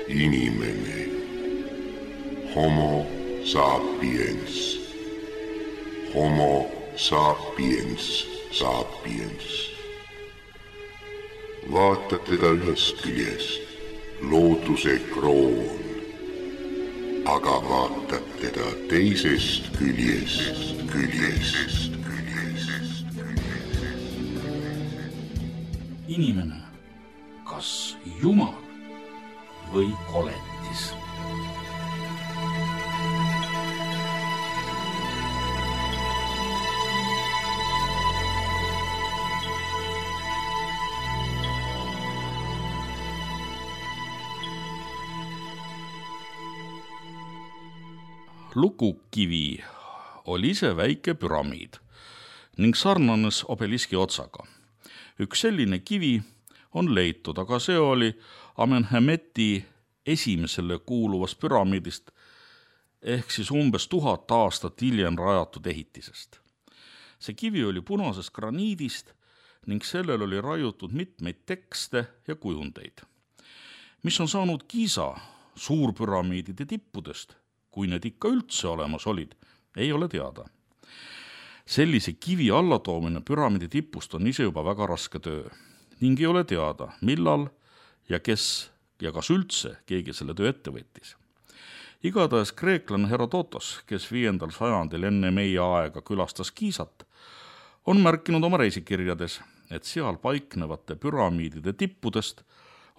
Inimene. Homo sapiens. Homo sapiens sapiens. Vaatad teda ühest küljest, looduse kroon, aga vaatad teda teisest küljest. Inimene, kas Jumal või koletis? Lukukivi oli ise väike püramiid ning sarnanes obeliski otsaga. Üks selline kivi on leitud, aga see oli Amenhemeti esimesele kuuluvast püramiidist ehk siis umbes 1000 aastat hiljem rajatud ehitisest. See kivi oli punasest graniidist ning sellel oli raiutud mitmeid tekste ja kujundeid. Mis on saanud Giza suurpüramiidide tippudest, kui need ikka üldse olemas olid, ei ole teada. Sellise kivi allatoomine püramiidi tipust on ise juba väga raske töö ning ei ole teada, millal ja kes ja kas üldse keegi selle töö ette võttis. Igatahes kreeklane Herodotos, kes 5. sajandil enne meie aega külastas Gizat, on märkinud oma reisikirjades, et seal paiknevate püramiidide tippudest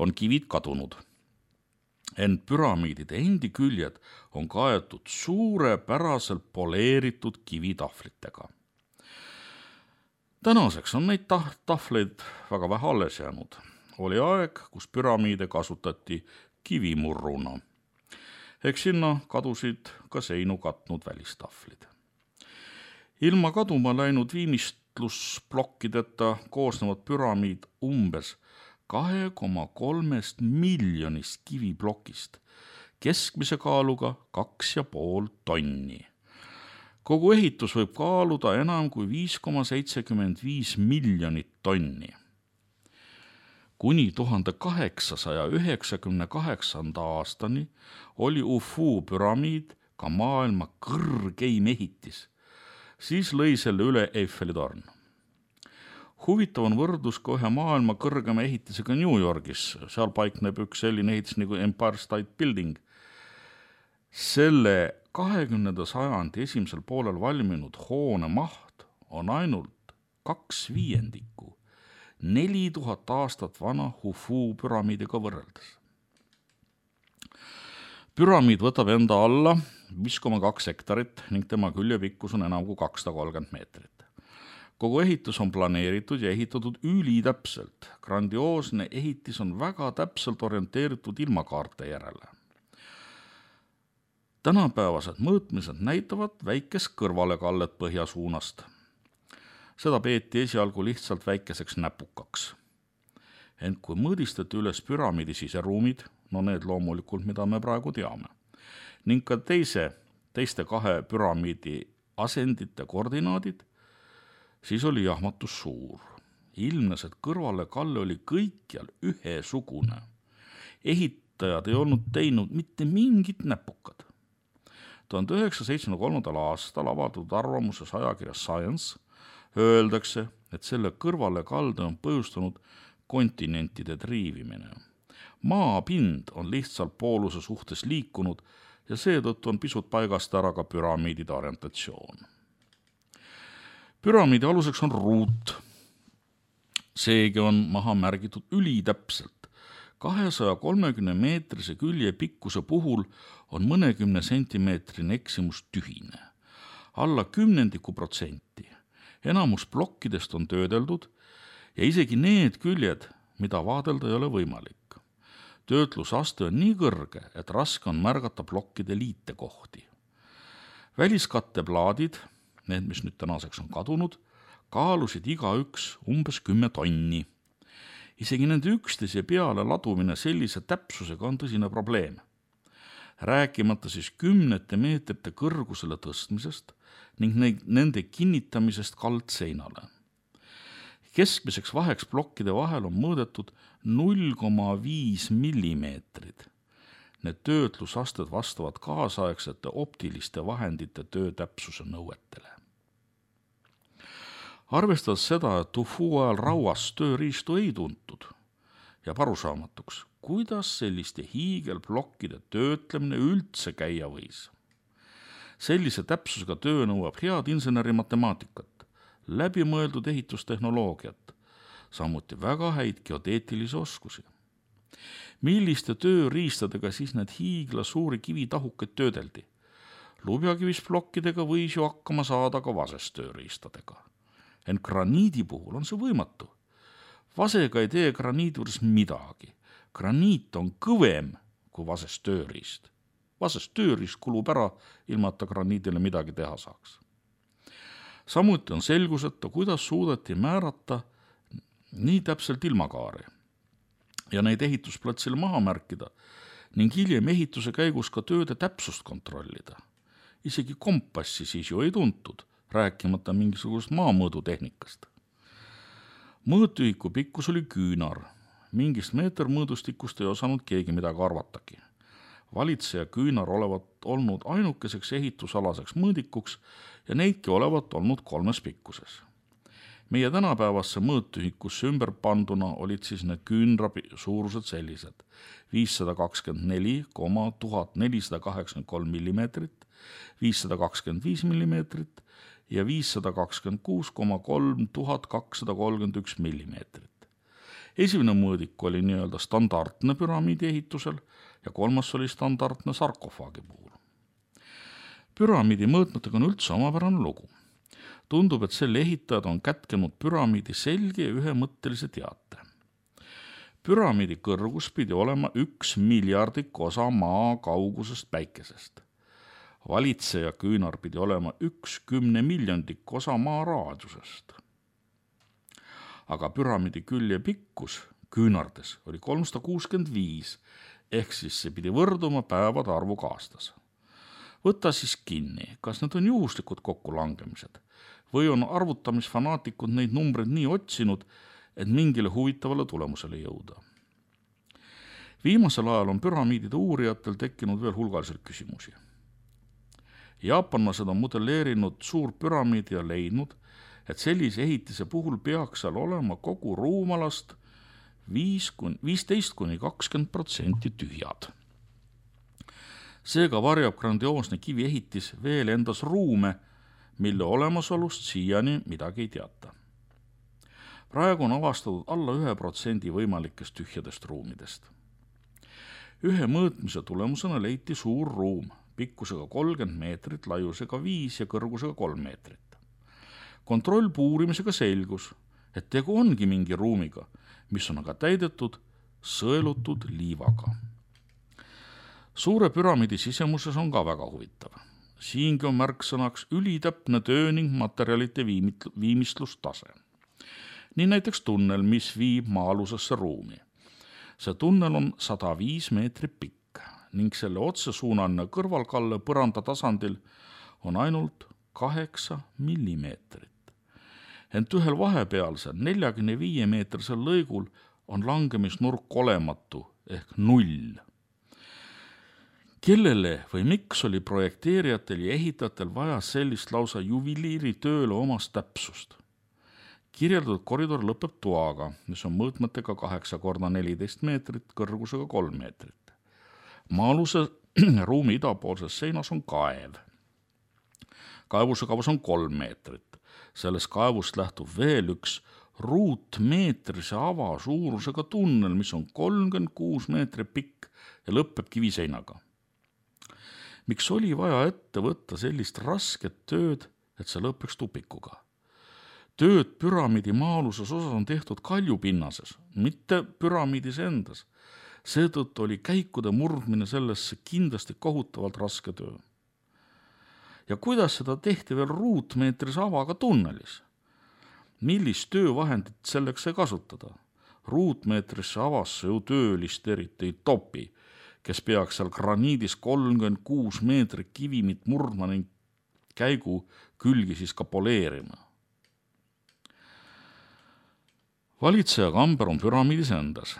on kivid kadunud. Ent püramiidide endi küljed on kaetud suurepäraselt poleeritud kivitahvlitega. Tänaseks on neid tahvleid väga vähe alles jäänud. Oli aeg, kus püramiide kasutati kivimurruna. Eks sinna kadusid ka seinu katnud välistahvlid. Ilma kaduma läinud viimistlusplokkideta koosnevad püramiid umbes 2,3 miljonist kiviplokist, keskmise kaaluga 2,5 tonni. Kogu ehitus võib kaaluda enam kui 5,75 miljonit tonni. Kuni 1898. aastani oli Ufu püramiid ka maailma kõrgeim ehitis. Siis lõi selle üle Eiffeli torn. Huvitav on võrdlus ka ühe maailma kõrgema ehitisega New Yorgis. Seal paikneb üks selline ehitis nagu Empire State Building. Selle 20. sajandi esimesel poolel valminud hoone maht on ainult 2/5 4000 aastat vana Hufu püramiidiga võrreldes. Püramiid võtab enda alla 5,2 hektarit ning tema külje pikkus on enam kui 230 meetrit. Kogu ehitus on planeeritud ja ehitatud ülitäpselt. Grandioosne ehitis on väga täpselt orienteeritud ilmakaarte järele. Tänapäevased mõõtmised näitavad väikest kõrvalekallet põhja suunast. Seda peeti esialgu lihtsalt väikeseks näpukaks. Ent kui mõõdistati üles püramiidi siseruumid, no need loomulikult, mida me praegu teame, ning ka teiste 2 püramiidi asendite koordinaadid, siis oli jahmatus suur. Ilmnes, et kõrvalekalle oli kõikjal ühesugune. Ehitajad ei olnud teinud mitte mingit näpukad. 1973. aastal avaldatud arvamuses ajakirjas Science öeldakse, et selle kõrvalekalde on põhjustanud kontinentide triivimine. Maapind on lihtsalt pooluse suhtes liikunud ja seetõttu on pisut paigast ära ka püramiidide orientatsioon. Püramiidi aluseks on ruut. Seegi on maha märgitud ülitäpselt. 230-meetrise külje pikkuse puhul on mõnekümne sentimeetrine eksimus tühine. Alla 10%. Enamus plokkidest on töödeldud ja isegi need küljed, mida vaadelda ei ole võimalik. Töötlusaste on nii kõrge, et raske on märgata plokkide liitekohti. Väliskatteplaadid, need, mis nüüd tänaseks on kadunud, kaalusid igaüks umbes 10 tonni. Isegi nende üksteise peale ladumine sellise täpsusega on tõsine probleem. Rääkimata siis 10 meetrite kõrgusele tõstmisest ning nende kinnitamisest kaldseinale. Keskmiseks vaheks plokkide vahel on mõõdetud 0,5 millimeetrid Need töötlusasted vastavad kaasaegsete optiliste vahendite töötäpsuse nõuetele. Arvestades seda, et UFO ajal rauas tööriistu ei tuntud, jääb arusaamatuks, kuidas selliste hiigelplokkide töötlemine üldse käia võis. Sellise täpsusega töö nõuab head insenerimatemaatikat, läbimõeldud ehitustehnoloogiat, samuti väga häid geodeetilisi oskusi. Milliste tööriistadega siis need hiigla suuri kivitahukeid töödeldi? Lubjakivisplokkidega võis ju hakkama saada ka vasest tööriistadega. Ent graniidi puhul on see võimatu. Vasega ei tee graniidi juures midagi. Graniit on kõvem kui vasest tööriist. Vasest tööriist kulub ära, ilma et ta graniidile midagi teha saaks. Samuti on selguseta, kuidas suudeti määrata nii täpselt ilmakaari ja neid ehitusplatsile maha märkida ning hiljem ehituse käigus ka tööde täpsust kontrollida. Isegi kompassi siis ju ei tuntud, rääkimata mingisugust maamõõdutehnikast. Mõõtühiku pikkus oli küünar. Mingist meetermõõdustikust ei osanud keegi midagi arvatagi. Valitseja küünar olevat olnud ainukeseks ehitusalaseks mõõdikuks ja neidki olevat olnud 3 pikkuses. Meie tänapäevasse mõõtühikusse ümber panduna olid siis need küünra suurused sellised 524,1483 mm, 525 mm ja 526,3231 mm. Esimene mõõdik oli nii-öelda standardne püramiidi ehitusel ja 3. oli standardne sarkofaagi puhul. Püramiidi mõõtmetega on üldse omapärane lugu. Tundub, et selle ehitajad on kätkenud püramiidi selge ja ühemõttelise teate. Püramiidi kõrgus pidi olema 1 miljardik osa maa kaugusest päikesest. Valitseja küünar pidi olema 1 10-miljondik osa maa raadiusest. Aga püramiidi külje pikkus küünardes oli 365, ehk siis see pidi võrduma päevade arvuga aastas. Võta siis kinni, kas need on juhuslikud kokkulangemised või on arvutamisfanaatikud neid numbreid nii otsinud, et mingile huvitavale tulemusele jõuda. Viimasel ajal on püramiidide uurijatel tekkinud veel hulgaliselt küsimusi. Jaapanlased on modelleerinud suur püramiidi ja leidnud, et sellise ehitise puhul peaks seal olema kogu ruumalast 15–20% tühjad. Seega varjab grandioosne kiviehitis veel endas ruume, mille olemasolust siiani midagi ei teata. Praegu on avastatud alla 1% võimalikest tühjadest ruumidest. Ühe mõõtmise tulemusena leiti suur ruum, pikkusega 30 meetrit, laiusega 5 ja kõrgusega 3 meetrit. Kontrollpuurimisega selgus, et tegu ongi mingi ruumiga, mis on aga täidetud sõelutud liivaga. Suure püramiidi sisemuses on ka väga huvitav. Siingi on märksõnaks ülitäpne töö ning materjalite viimistlustase. Nii näiteks tunnel, mis viib maa-alusesse ruumi. See tunnel on 105 meetrit pikk ning selle otsesuunaline kõrvalkalle põranda tasandil on ainult 8 millimeetrit. Ent ühel vahepealsel 45 meetrisel lõigul on langemisnurk olematu ehk 0. Kellele või miks oli projekteerijatel ja ehitajatel vaja sellist lausa juveliiritööle omast täpsust? Kirjeldatud koridor lõpeb toaga, mis on mõõtmetega 8x14 meetrit, kõrgusega 3 meetrit. Maa-aluse ruumi idapoolses seinas on kaev. Kaevuse kavas on 3 meetrit. Sellest kaevust lähtub veel üks ruutmeetrise ava suurusega tunnel, mis on 36 meetrit pikk ja lõpeb kiviseinaga. Miks oli vaja ette võtta sellist rasket tööd, et see lõpeks tupikuga? Tööd püramiidi maa-aluses osas on tehtud kaljupinnases, mitte püramiidis endas. Seetõttu oli käikude murdmine sellesse kindlasti kohutavalt raske töö. Ja kuidas seda tehti veel ruutmeetris avaga tunnelis? Millist töövahendit selleks sai kasutada? Ruutmeetrisse avasse ju töölist eriti ei topi, kes peaks seal graniidis 36 meetrit kivimit murdma ning käigu külgi siis ka poleerima. Valitseja kamber on püramiidis endas.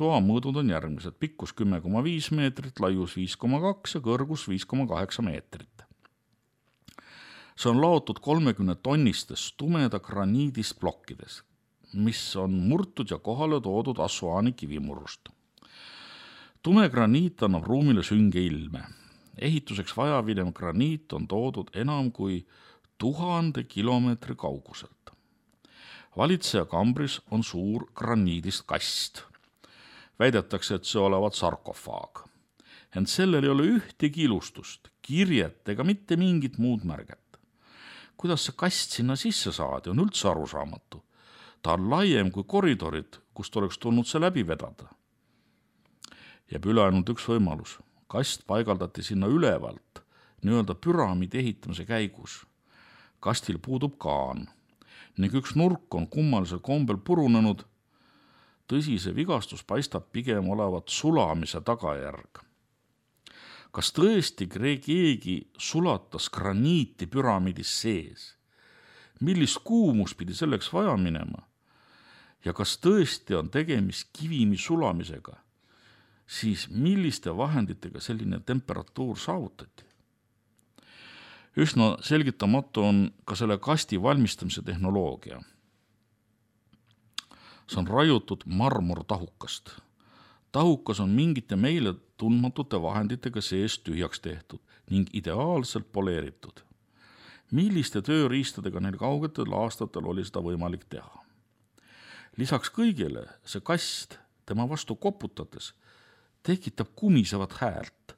Toa mõõdud on järgmised: pikkus 10,5 meetrit, laius 5,2 ja kõrgus 5,8 meetrit. See on laotud 30 tonnistest tumeda graniidist plokkides, mis on murtud ja kohale toodud Assuaani kivimurust. Tume graniit annab ruumile sünge ilme. Ehituseks vajavinev graniit on toodud enam kui 1000 kilomeetri kauguselt. Valitseja kambris on suur graniidist kast. Väidetakse, et see olevat sarkofaag. Ent sellel ei ole ühtegi ilustust, kirjet ega mitte mingit muud märget. Kuidas see kast sinna sisse saadi, on üldse arusaamatu. Ta on laiem kui koridorid, kust oleks tulnud see läbi vedada. Jääb üle ainult üks võimalus. Kast paigaldati sinna ülevalt, nii-öelda püramiidi ehitamise käigus. Kastil puudub kaan ning üks nurk on kummalisel kombel purunenud. Tõsi, see vigastus paistab pigem olevat sulamise tagajärg. Kas tõesti keegi sulatas graniiti püramiidis sees? Millist kuumus pidi selleks vaja minema? Ja kas tõesti on tegemist kivimi sulamisega? Siis milliste vahenditega selline temperatuur saavutati? Üsna selgitamatu on ka selle kasti valmistamise tehnoloogia. See on raiutud marmortahukast. Tahukas on mingite meile tundmatute vahenditega sees tühjaks tehtud ning ideaalselt poleeritud. Milliste tööriistadega neil kaugetel aastatel oli seda võimalik teha? Lisaks kõigile see kast tema vastu koputades tekitab kumisevat häält,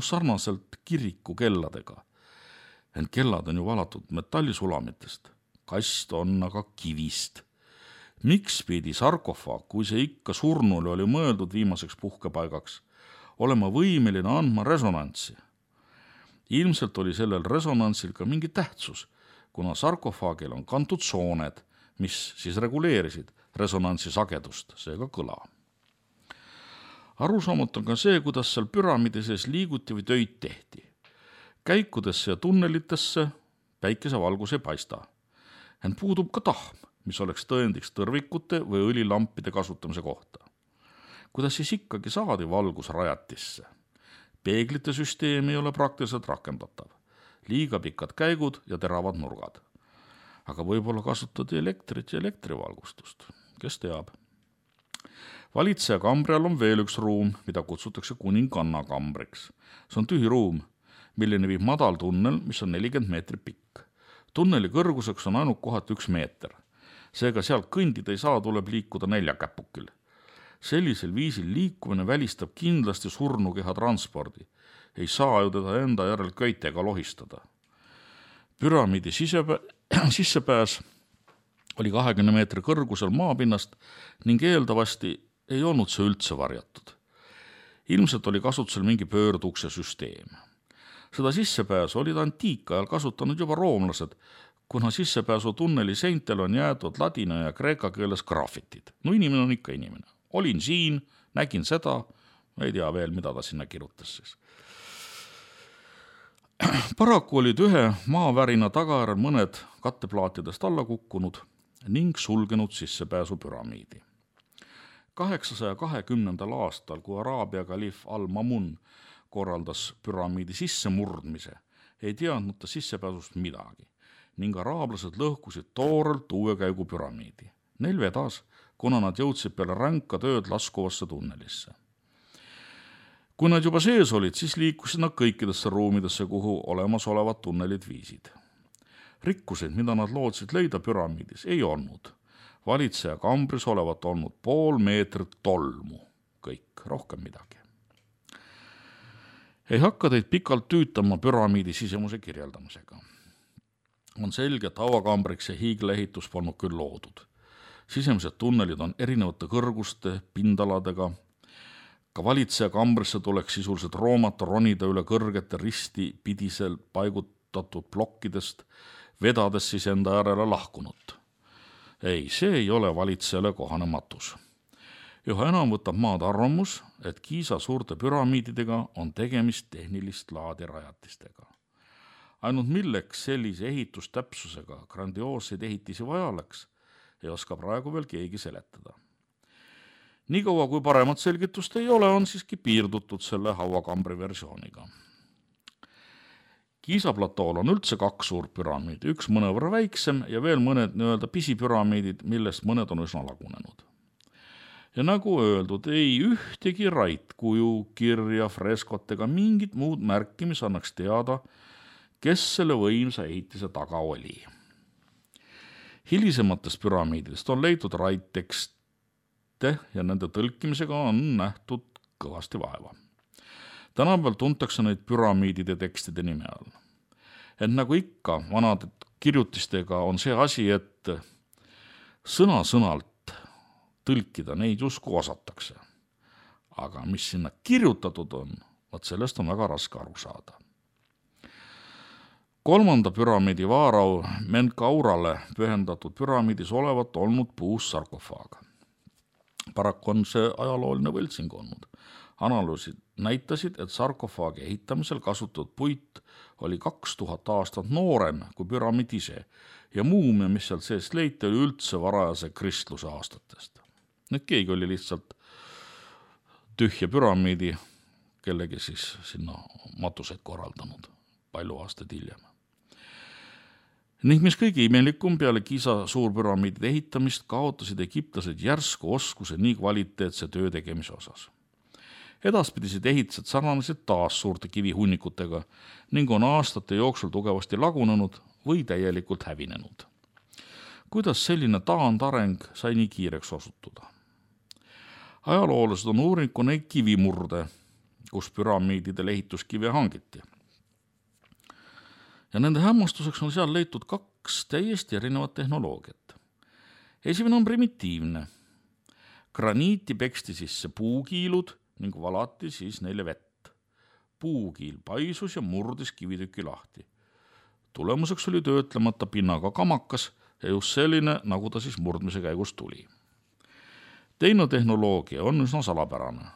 sarnaselt kiriku kelladega. Ent kellad on ju valatud metallisulamitest. Kast on aga kivist. Miks pidi sarkofaag, kui see ikka surnule oli mõeldud viimaseks puhkepaigaks, olema võimeline andma resonantsi? Ilmselt oli sellel resonantsil ka mingi tähtsus, kuna sarkofaagil on kantud sooned, mis siis reguleerisid resonantsi sagedust, seega kõla. Arusaamatu on ka see, kuidas seal püramiidi sees liiguti või töid tehti. Käikudesse ja tunnelitesse päikesevalgus ei paista. Ent puudub ka tahm, mis oleks tõendiks tõrvikute või õlilampide kasutamise kohta. Kuidas siis ikkagi saadi valgus rajatisse? Peeglite süsteem ei ole praktiliselt rakendatav. Liiga pikad käigud ja teravad nurgad. Aga võib-olla kasutati elektrit ja elektrivalgustust. Kes teab? Valitseja kambri all on veel üks ruum, mida kutsutakse kuninganna kambriks. See on tühi ruum, milline viib madal tunnel, mis on 40 meetrit pikk. Tunneli kõrguseks on ainult kohati 1 meeter. Seega sealt kõndida ei saa, tuleb liikuda 4 käpukil. Sellisel viisil liikumine välistab kindlasti surnukeha transpordi. Ei saa ju teda enda järel köitega lohistada. Püramiidi sissepääs oli 20 meetri kõrgusel maapinnast ning eeldavasti ei olnud see üldse varjatud. Ilmselt oli kasutusel mingi pöördukse süsteem. Seda sissepääsu olid antiikajal kasutanud juba roomlased, kuna sissepääsu tunneli seintel on jäetud ladina ja kreeka keeles graafitid. Inimene on ikka inimene. Olin siin, nägin seda, ei tea veel, mida ta sinna kirjutas siis. Paraku olid ühe maavärina tagajärjel mõned katteplaatidest alla kukkunud ning sulgenud sissepääsu püramiidi. 820. aastal, kui Araabia kalif Al-Mamun korraldas püramiidi sissemurdmise, ei teadnud ta sissepääsust midagi ning araablased lõhkusid toorelt uue käigu püramiidi. Neil vedas, kuna nad jõudsid peale ränka tööd laskuvasse tunnelisse. Kui nad juba sees olid, siis liikusid nad kõikidesse ruumidesse, kuhu olemasolevad tunnelid viisid. Rikkuseid, mida nad lootsid leida püramiidis, ei olnud. Valitseja kambris olevat olnud 0,5 meetrit tolmu. Kõik, rohkem midagi. Ei hakka teid pikalt tüütama püramiidi sisemuse kirjeldamisega. On selge, et hauakambriks ja hiigleehitus polnud küll loodud. Sisemised tunnelid on erinevate kõrguste, pindaladega. Ka valitseja kambrisse tuleks sisuliselt roomata, ronida üle kõrgete risti pidisel paigutatud plokkidest, vedades siis enda järele lahkunut. Ei, see ei ole valitsejale kohane matus. Üha enam võtab maad arvamus, et Giza suurte püramiididega on tegemist tehnilist laadi rajatistega. Ainult milleks sellise ehitustäpsusega grandioosseid ehitisi vaja oleks, ei oska praegu veel keegi seletada. Niikaua kui paremat selgitust ei ole, on siiski piirdutud selle hauakambri versiooniga. Giza platool on üldse 2 suurt püramiidi, üks mõnevõrra väiksem ja veel mõned nii-öelda pisipüramiidid, millest mõned on üsna lagunenud. Ja nagu öeldud, ei ühtegi raitkuju, kirja, freskot ega mingit muud märki, mis annaks teada, kes selle võimsa ehitise taga oli. Hilisematest püramiididest on leitud raittekste ja nende tõlkimisega on nähtud kõvasti vaeva. Tänapäeval tuntakse neid püramiidide tekstide nime all. Et nagu ikka vanade kirjutistega on see asi, et sõna-sõnalt tõlkida neid justkui osatakse. Aga mis sinna kirjutatud on, vaat sellest on väga raske aru saada. 3. püramiidi vaarau Menkaurale pühendatud püramiidis olevat olnud puust sarkofaag. Paraku on see ajalooline võltsing olnud. Analüüsid näitasid, et sarkofaagi ehitamisel kasutatud puit oli 2000 aastat noorem kui püramiid ise ja muumia, mis sealt seest leiti, oli üldse varajase kristluse aastatest. Nüüd keegi oli lihtsalt tühja püramiidi kellegi siis sinna matuseid korraldanud palju aastaid hiljem. Ning mis kõige imelikum, peale Giza suurpüramiidide ehitamist kaotasid egiptlased järsku oskuse nii kvaliteetse töö tegemise osas. Edaspidised ehitised sarnanesid taas suurte kivihunnikutega ning on aastate jooksul tugevasti lagunenud või täielikult hävinenud. Kuidas selline taandareng sai nii kiireks osutuda? Ajaloolased on uurinud neid kivimurde, kus püramiididel ehituskive hangiti. Ja nende hämmastuseks on seal leitud 2 täiesti erinevat tehnoloogiat. Esimene on primitiivne. Graniiti peksti sisse puukiilud ning valati siis neile vett. Puukiil paisus ja murdis kivitüki lahti. Tulemuseks oli töötlemata pinnaga kamakas ja just selline, nagu ta siis murdmise käigus tuli. Teine tehnoloogia on üsna salapärane.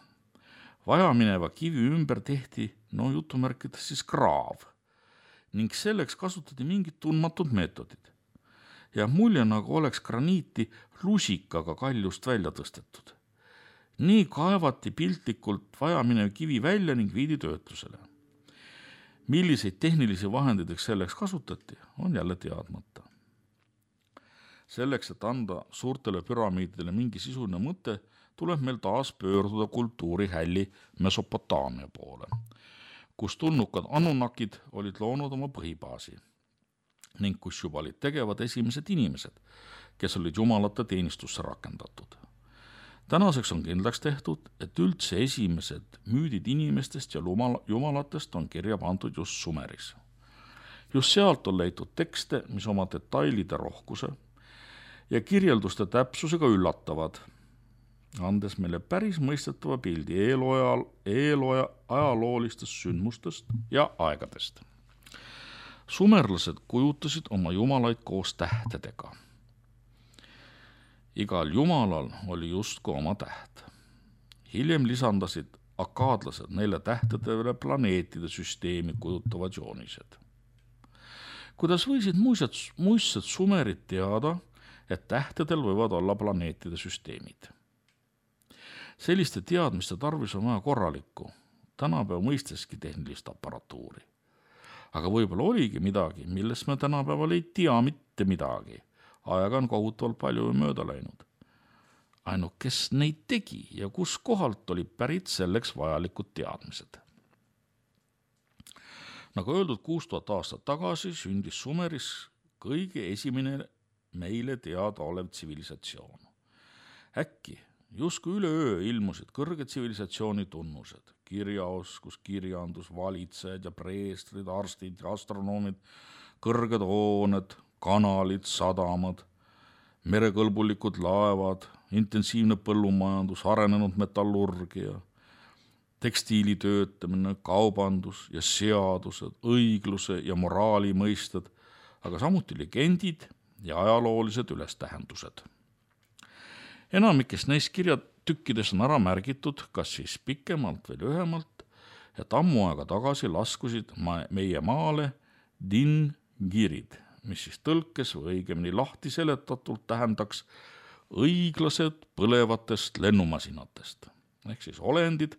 Vajamineva kivi ümber tehti, jutumärkides siis kraav, ning selleks kasutati mingid tundmatud meetodid. Ja mulje nagu oleks graniiti lusikaga kaljust välja tõstetud. Nii kaevati piltlikult vajaminev kivi välja ning viidi töötlusele. Milliseid tehnilisi vahendideks selleks kasutati, on jälle teadmata. Selleks, et anda suurtele püramiididele mingi sisuline mõte, tuleb meil taas pöörduda kultuurihälli Mesopotaamia poole, kus tulnukad Anunnakid olid loonud oma põhibaasi ning kus juba olid tegevad esimesed inimesed, kes olid jumalate teenistusse rakendatud. Tänaseks on kindlaks tehtud, et üldse esimesed müüdid inimestest ja jumalatest on kirja pandud just Sumeris. Just sealt on leitud tekste, mis oma detailide rohkuse ja kirjelduste täpsusega üllatavad, andes meile päris mõistetava pildi eeloja ajaloolistest sündmustest ja aegadest. Sumerlased kujutasid oma jumalaid koos tähtedega. Igal jumalal oli justkui oma täht. Hiljem lisandasid akaadlased neile tähtedele planeetide süsteemi kujutavad joonised. Kuidas võisid muistsed sumerid teada, et tähtedel võivad olla planeetide süsteemid? Selliste teadmiste tarvis on vaja korralikku, tänapäeva mõisteski tehnilist aparatuuri. Aga võib-olla oligi midagi, millest me tänapäeval ei tea mitte midagi. Aega on kohutavalt palju mööda läinud. Ainult kes neid tegi ja kus kohalt oli pärit selleks vajalikud teadmised. Nagu öeldud, 6000 aastat tagasi sündis Sumeris kõige esimene meile teada olev tsivilisatsioon. Äkki justkui üleöö ilmusid kõrged tsivilisatsiooni tunnused, kirjaoskus, kirjandus, valitsejad ja preestrid, arstid ja astronoomid, kõrged hooned, kanalid, sadamad, merekõlbulikud laevad, intensiivne põllumajandus, arenenud metallurgia, tekstiilitöötamine, kaubandus ja seadused, õigluse ja moraali mõisted, aga samuti legendid ja ajaloolised ülestähendused. Enamikest neist kirjatükkides on ära märgitud, kas siis pikemalt või lühemalt, et ammu aega tagasi laskusid meie maale dingirid, mis siis tõlkes või õigemini lahti seletatult tähendaks õiglased põlevatest lennumasinatest, ehk siis olendid,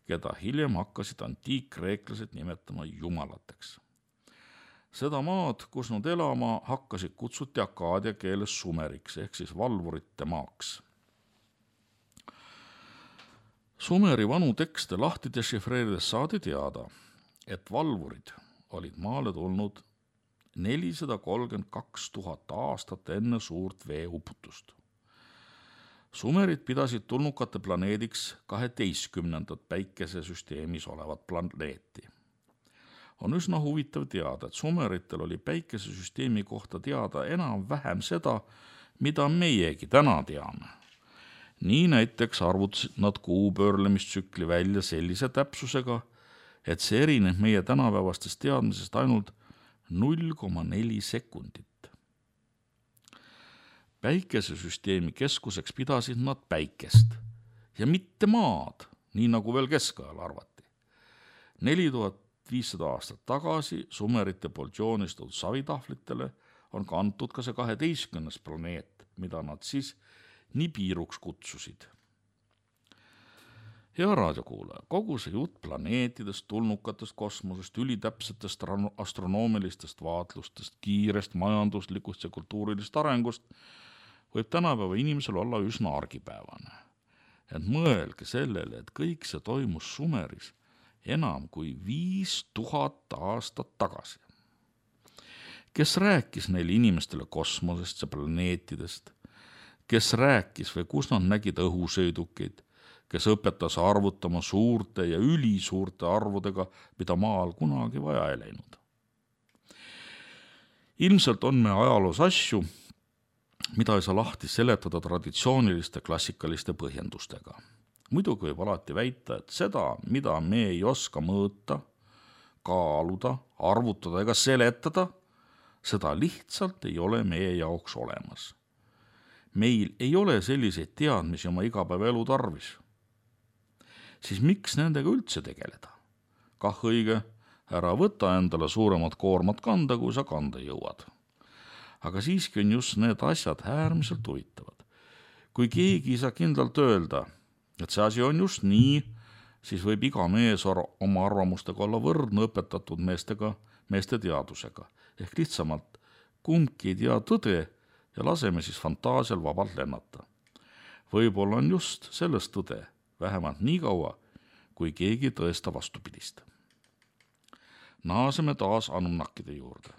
keda hiljem hakkasid antiikkreeklased nimetama jumalateks. Seda maad, kus nad elama hakkasid, kutsuti akaadia keeles sumeriks, ehk siis valvurite maaks. Sumeri vanu tekste lahti dešifreerides saadi teada, et valvurid olid maale tulnud 432 000 aastat enne suurt veeuputust. Sumerid pidasid tulnukate planeediks 12. päikesesüsteemis olevat planeeti. On üsna huvitav teada, et sumeritel oli päikesesüsteemi kohta teada enam-vähem seda, mida meiegi täna teame. Nii näiteks arvutasid nad kuupöörlemistsükli välja sellise täpsusega, et see erineb meie tänapäevastest teadmisest ainult 0,4 sekundit. Päikesesüsteemi keskuseks pidasid nad päikest ja mitte maad, nii nagu veel keskajal arvati. 4500 aastat tagasi sumerite poolt joonistatud savitahvlitele on kantud ka see 12. planeet, mida nad siis Nibiruks kutsusid. Hea raadiokuulaja, kogu see jutt planeetidest, tulnukatest, kosmosest, ülitäpsetest astronoomilistest vaatlustest, kiirest majanduslikust ja kultuurilist arengust võib tänapäeva inimesel olla üsna argipäevane. Ent mõelge sellele, et kõik see toimus Sumeris enam kui 5000 aastat tagasi. Kes rääkis neile inimestele kosmosest ja planeetidest? Kes rääkis või kus nad nägid õhusõidukeid? Kes õpetas arvutama suurte ja ülisuurte arvudega, mida maal kunagi vaja ei läinud? Ilmselt on me ajaloos asju, mida ei saa lahti seletada traditsiooniliste klassikaliste põhjendustega. Muidugi võib alati väita, et seda, mida me ei oska mõõta, kaaluda, arvutada ega seletada, seda lihtsalt ei ole meie jaoks olemas. Meil ei ole selliseid teadmisi oma igapäevaelu tarvis. Siis miks nendega üldse tegeleda? Kah õige, ära võta endale suuremat koormat kanda, kui sa kanda jõuad. Aga siiski on just need asjad äärmiselt huvitavad. Kui keegi ei saa kindlalt öelda, et see asi on just nii, siis võib iga mees oma arvamustega olla võrdne õpetatud meeste teadusega. Ehk lihtsamalt kumbki ei tea tõde ja laseme siis fantaasial vabalt lennata. Võib-olla on just selles tõde, vähemalt nii kaua, kui keegi tõesta vastupidist. Naaseme taas Anunnakide juurde.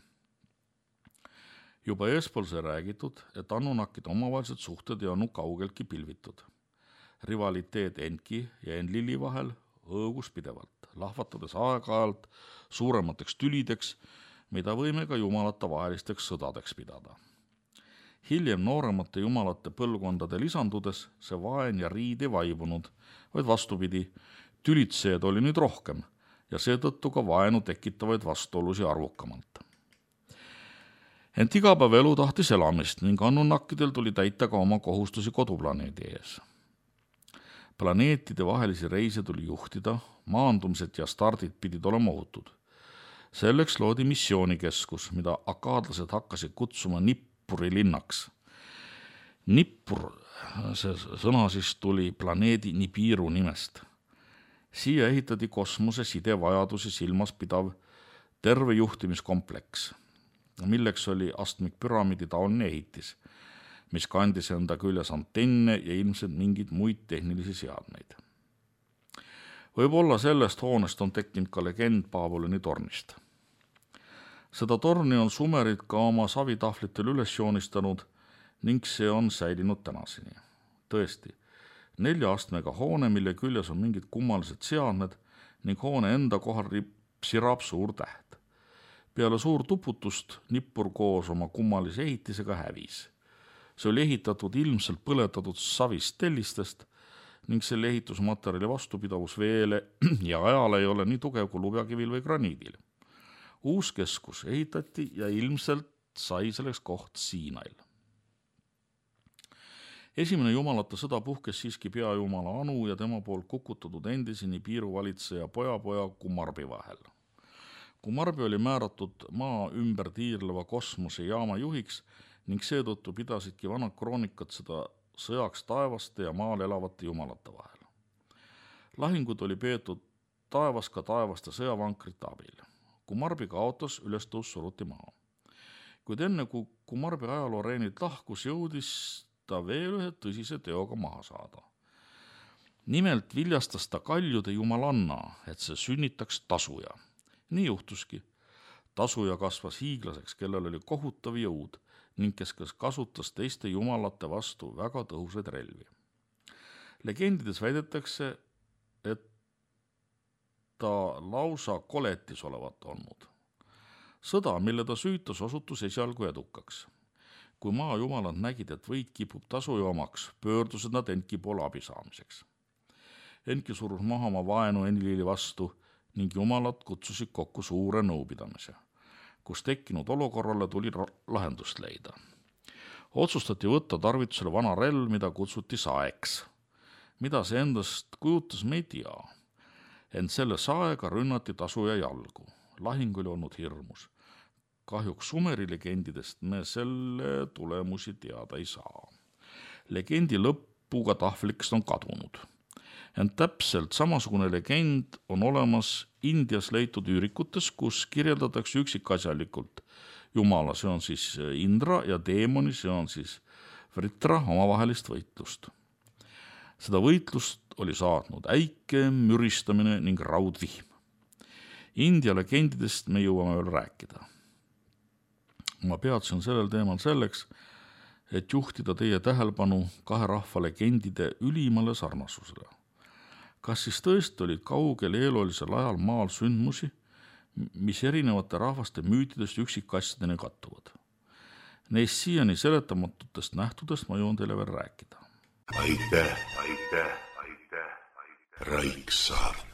Juba eespool see räägitud, et Anunnakide omavahelised suhted ei olnud kaugeltki pilvitud. Rivaliteet Enki ja Enlili vahel õõgus pidevalt, lahvatades aeg-ajalt suuremateks tülideks, mida võime ka jumalate vahelisteks sõdadeks pidada. Hiljem nooremate jumalate põlvkondade lisandudes see vaen ja riid ei vaibunud, vaid vastupidi, tülitseed oli nüüd rohkem ja seetõttu ka vaenu tekitavaid vastuolusi arvukamalt. Ent igapäevaelu tahtis elamist ning Anunnakidel tuli täita ka oma kohustusi koduplaneedi ees. Planeetide vahelisi reise tuli juhtida, maandumised ja stardid pidid olema ohutud. Selleks loodi missioonikeskus, mida akaadlased hakkasid kutsuma Nippuri linnaks. Nippur, see sõna siis tuli planeedi Nibiru nimest. Siia ehitati kosmose sidevajadusi silmas pidav terve juhtimiskompleks, milleks oli astmikpüramiidi taoline ehitis, mis kandis enda küljes antenne ja ilmselt mingeid muid tehnilisi seadmeid. Võib-olla sellest hoonest on tekkinud ka legend Paavolini tornist. Seda torni on sumerid ka oma savitahvlitel üles joonistanud ning see on säilinud tänaseni. Tõesti, 4 astmega hoone, mille küljes on mingid kummalised seadmed ning hoone enda kohal sirab suur täht. Peale suurt uputust Nippur koos oma kummalise ehitisega hävis. See oli ehitatud ilmselt põletatud savist tellistest ning selle ehitusmaterjali vastupidavus veele ja ajale ei ole nii tugev kui lubjakivil või graniidil. Uus keskus ehitati ja ilmselt sai selleks koht Siinail. Esimene jumalate sõda puhkes siiski peajumala Anu ja tema poolt kukutatud endise Nibiru valitseja pojapoja Kumarbi vahel. Kumarbi oli määratud maa ümber tiirleva kosmosejaama juhiks ning seetõttu pidasidki vanad kroonikad seda sõjaks taevaste ja maal elavate jumalate vahel. Lahingud oli peetud taevas ka taevaste sõjavankrite abil. Kumarbi kaotas, ülestõus suruti maha. Kuid enne kui Kumarbi ajalooreenilt lahkus, jõudis ta veel ühe tõsise teoga maha saada. Nimelt viljastas ta kaljude jumalanna, et see sünnitaks tasuja. Nii juhtuski. Tasuja kasvas hiiglaseks, kellel oli kohutav jõud ning kes kasutas teiste jumalate vastu väga tõhusaid relvi. Legendides väidetakse, et ta lausa koletis olevat olnud. Sõda, mille ta süütas, osutus esialgu edukaks. Kui maajumalad nägid, et võit kipub tasuja omaks, pöördusid nad Enki poole abi saamiseks. Enki surus maha oma vaenu Enlili vastu ning jumalad kutsusid kokku suure nõupidamise, kus tekkinud olukorrale tuli lahendust leida. Otsustati võtta tarvitusele vana relv, mida kutsuti saeks. Mida see endast kujutas, me ei tea. Ent selle saega rünnati tasuja jalgu. Lahing oli olnud hirmus. Kahjuks Sumeri legendidest me selle tulemusi teada ei saa. Legendi lõpuga tahvlikest on kadunud. Ent täpselt samasugune legend on olemas Indias leitud üürikutes, kus kirjeldatakse üksikasjalikult jumala, see on siis Indra, ja teemoni, see on siis Vritra, omavahelist võitlust. Seda võitlust oli saatnud äike, müristamine ning raudvihm. India legendidest me jõuame veel rääkida. Ma peatsen sellel teemal selleks, et juhtida teie tähelepanu kahe rahva legendide ülimale sarnasusele. Kas siis tõesti olid kaugel eelolisel ajal maal sündmusi, mis erinevate rahvaste müütidest üksikasjadeni kattuvad? Neist siiani seletamatutest nähtudest ma jõuan teile veel rääkida. Aitäh. Raiksaart.